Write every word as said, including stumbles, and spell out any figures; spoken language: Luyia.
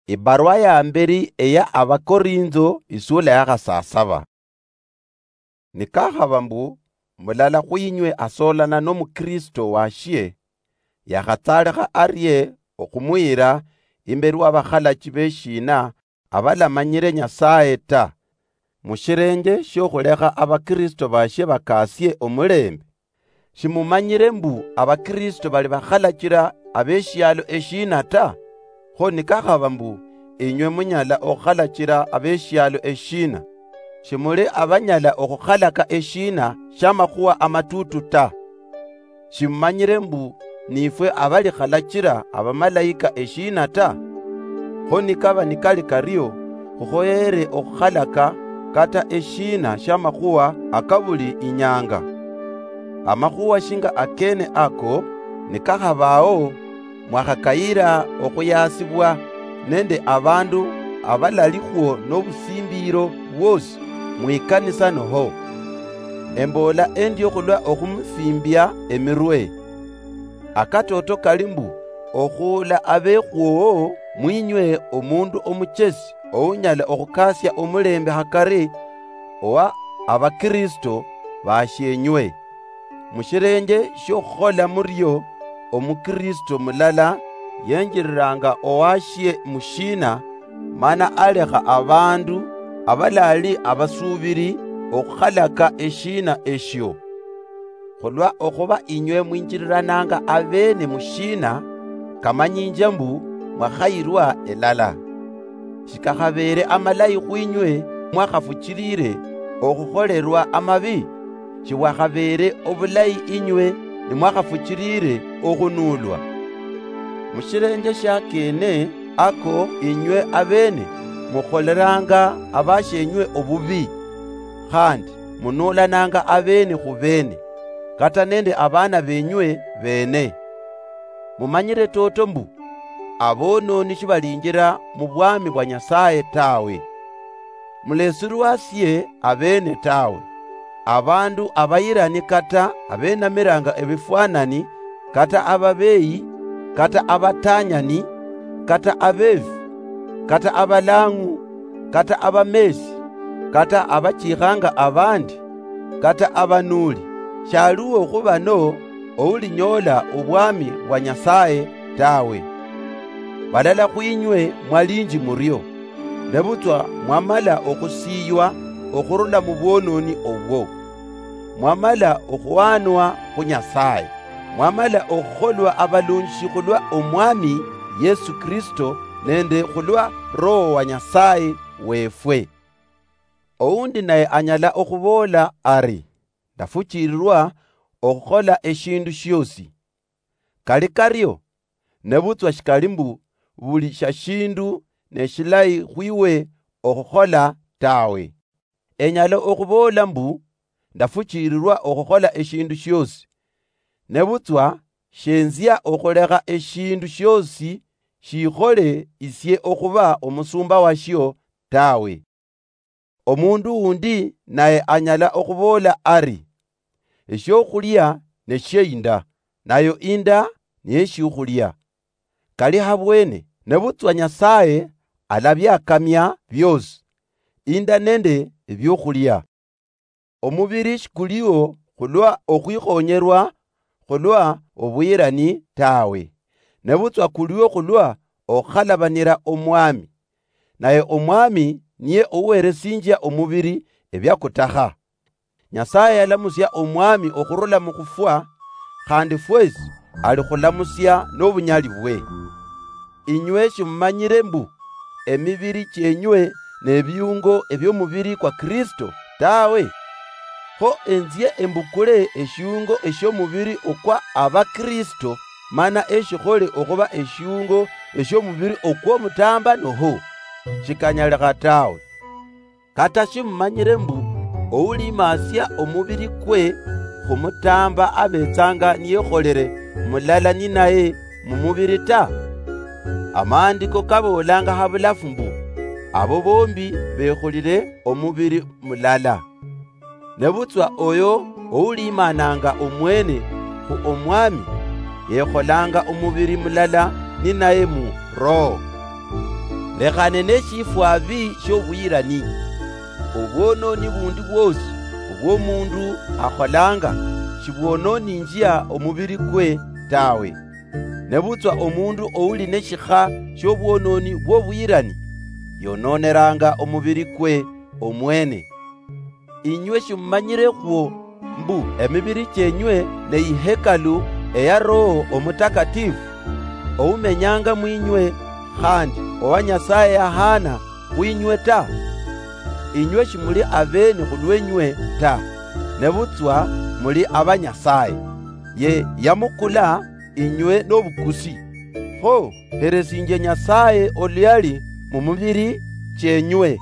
Ibarwa ya mberi eya Abakorintho, isula ya khasasaba. Nikakhaba mbu mulala khwinywe asolana nomukristo washie, yakhatsalekha arie okhumuyira imberi wa bakhalachi beshina abalamanyire Nyasaye ta, mushirenje shiokhulekha Abakristo bashie bakasie omulembe? Shimumanyire mbu Abakristo bali bakhalachira abeshialo eshina ta? Kho nikakhaba mbu inywe munyala okhukhalachira abeshialo eshina, shimuli abanyala okhukhalaka eshina shiamakhuwa amatutu ta? Shimumanyire mbu nifwe abalikhalachira abamalaika eshina ta? Kho nikaba nikali kario, khukhoyere okhukhalaka kata eshina shiamakhuwa akabuli inyanga. Amakhuwa shinga akene ako nikakhabao, mwakhakayira okhuyasibwa nende abandu abalalikhwo nobusimbiro bwosi mwikanisa noho? Emboola endio khulwa okhumusimbia emirwe. Akatoto kali mbu, okhuula abekhwowo mwinywe omundu omuchesi ounyala okhukasia omulembe hakari owa Abakristo bashienywe. Mushirenje shiokhukhola murio, Omukristo mulala yenjiriranga owashie mushina, mana alekha abandu abalali abasuubiri okhukhalaka eshina eshio. Khulwa okhuba inywe mwinjirirananga abeene mushina, kamanyinje mbu mwakhayirwa elala. Shikakhabeere amalayi khwinywe mwakhafuchilire okhukholerwa amabi? Shibwakhabeere obulayi inywe nimwakhafuchilire okhunuulwa? Mushirenje shiakene ako inywe abeene mukholeranga abashienywe obubi, khandi munuulananga abeene khubeene, kata nende abaana benywe beene. Mumanyire toto mbu, abononi shibalinjira mubwami bwa Nyasaye tawe. Mulesirwasie abeene tawe, abandu abayirani kata abenamiranga ebifwanani, kata ababeyi, kata abatanyani, kata abefi, kata abalang'u, kata abamesi, kata abachikhanga abandi, kata abanuli, shaliwo khubano oulinyoola obwami bwa Nyasaye tawe. Balala khwinywe mwalinji murio, nebutswa mwamala okhusiywa okhurula mubwononi obwo. Mwamala okhuhanwa khu Nyasaye, mwamala okhukholwa abalunjishi khulwa Omwami Yesu Kristo nende khulwa Roho wa Nyasaye wefwe. Oundi naye anyala okhuboola ari, ndafuchiirirwa okhukhola eshindu shiosi. Kali kario, nebutswa shikali mbu buli shashindu neshilayi khwiwe okhukhola tawe. Enyala okhuboola mbu, ndafuchiirirwa okhukhola eshindu shiosi, nebutswa shenzia okhulekha eshindu shiosi shikhole isie okhuba omusumba washio tawe. Omundu undi naye anyala okhuboola ari, eshiokhulia neshie inda, nayo inda niyeshiokhulia. Kali habwene, nebutswa Nyasaye alabiakamia biosi, inda nende ebiokhulia. Omubiri shikuliwo khulwa okhwikhonyerwa khulwa obuyirani tawe, nebutswa kuliwo khulwa okhalabanira Omwami. Naye Omwami niye oweresinjia omubiri ebiakutakha. Nyasaye yalamusia Omwami okhurula mukhufwa, khandi fwesi alikhulamusia nobunyali bwe. Inywe shimumanyire mbu emibiri chienywe nebiungo ebiomubiri kwa Kristo tawe? Kho enzie embukule eshiungo eshiomubiri okwa Abakristo, mana eshikhole okhuba eshiungo eshiomubiri okwomutamba noho? Shikanyalikha tawe. Kata shimumanyire mbu oulimasia omubiri kwe khumutamba abetsanga niyekholere mulala ninaye mumubiri ta? Amaandiko kaboolanga habulafu mbu, abo bombi bekhulire omubiri mulala. Nebutswa oyo oulimananga omwene khu Omwami, yekholanga omubiri mulala ninaye mu Roho. Lekhane neshifwabi shobuyirani. Obwononi bundi bwosi obwomundu akholanga shibwononinjia omubiri kwe tawe. Nebutswa omundu ouli neshikha shobwononi bwobuyirani, yononeranga omubiri kwe omwene. Inywe shimumanyirekhwo mbu emibiri chienywe neyihekalu eya Roho Omutakatifu, oumenyanga mwinywe, khandi owa Nyasaye yahana khwinywe ta? Inywe shimuli abeni khulwenywe ta, nebutswa muli aba Nyasaye. Ye yamukula inywe nobukusi. Kho heresinjia Nyasaye oluyali mumibiri chienywe.